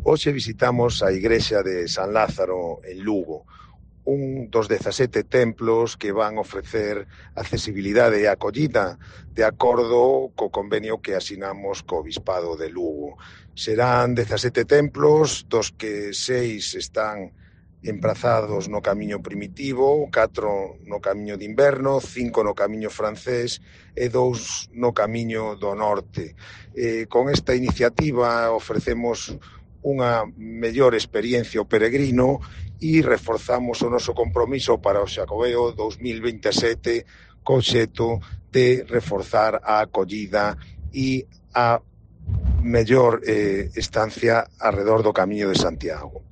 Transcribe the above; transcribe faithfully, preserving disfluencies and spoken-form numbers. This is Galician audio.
Hoxe visitamos a igrexa de San Lázaro en Lugo, un dos dezasete templos que van ofrecer accesibilidade e acollida de acordo co convenio que asinamos co Bispado de Lugo. Serán dezasete templos, dos que seis están emprazados no camiño primitivo, catro no camiño de inverno, cinco no camiño francés e dous no camiño do norte. Eh, con esta iniciativa ofrecemos unha mellor experiencia ao peregrino e reforzamos o noso compromiso para o Xacobeo dous mil veintesete co xeto de reforzar a acollida e a mellor eh, estancia arredor do Camiño de Santiago.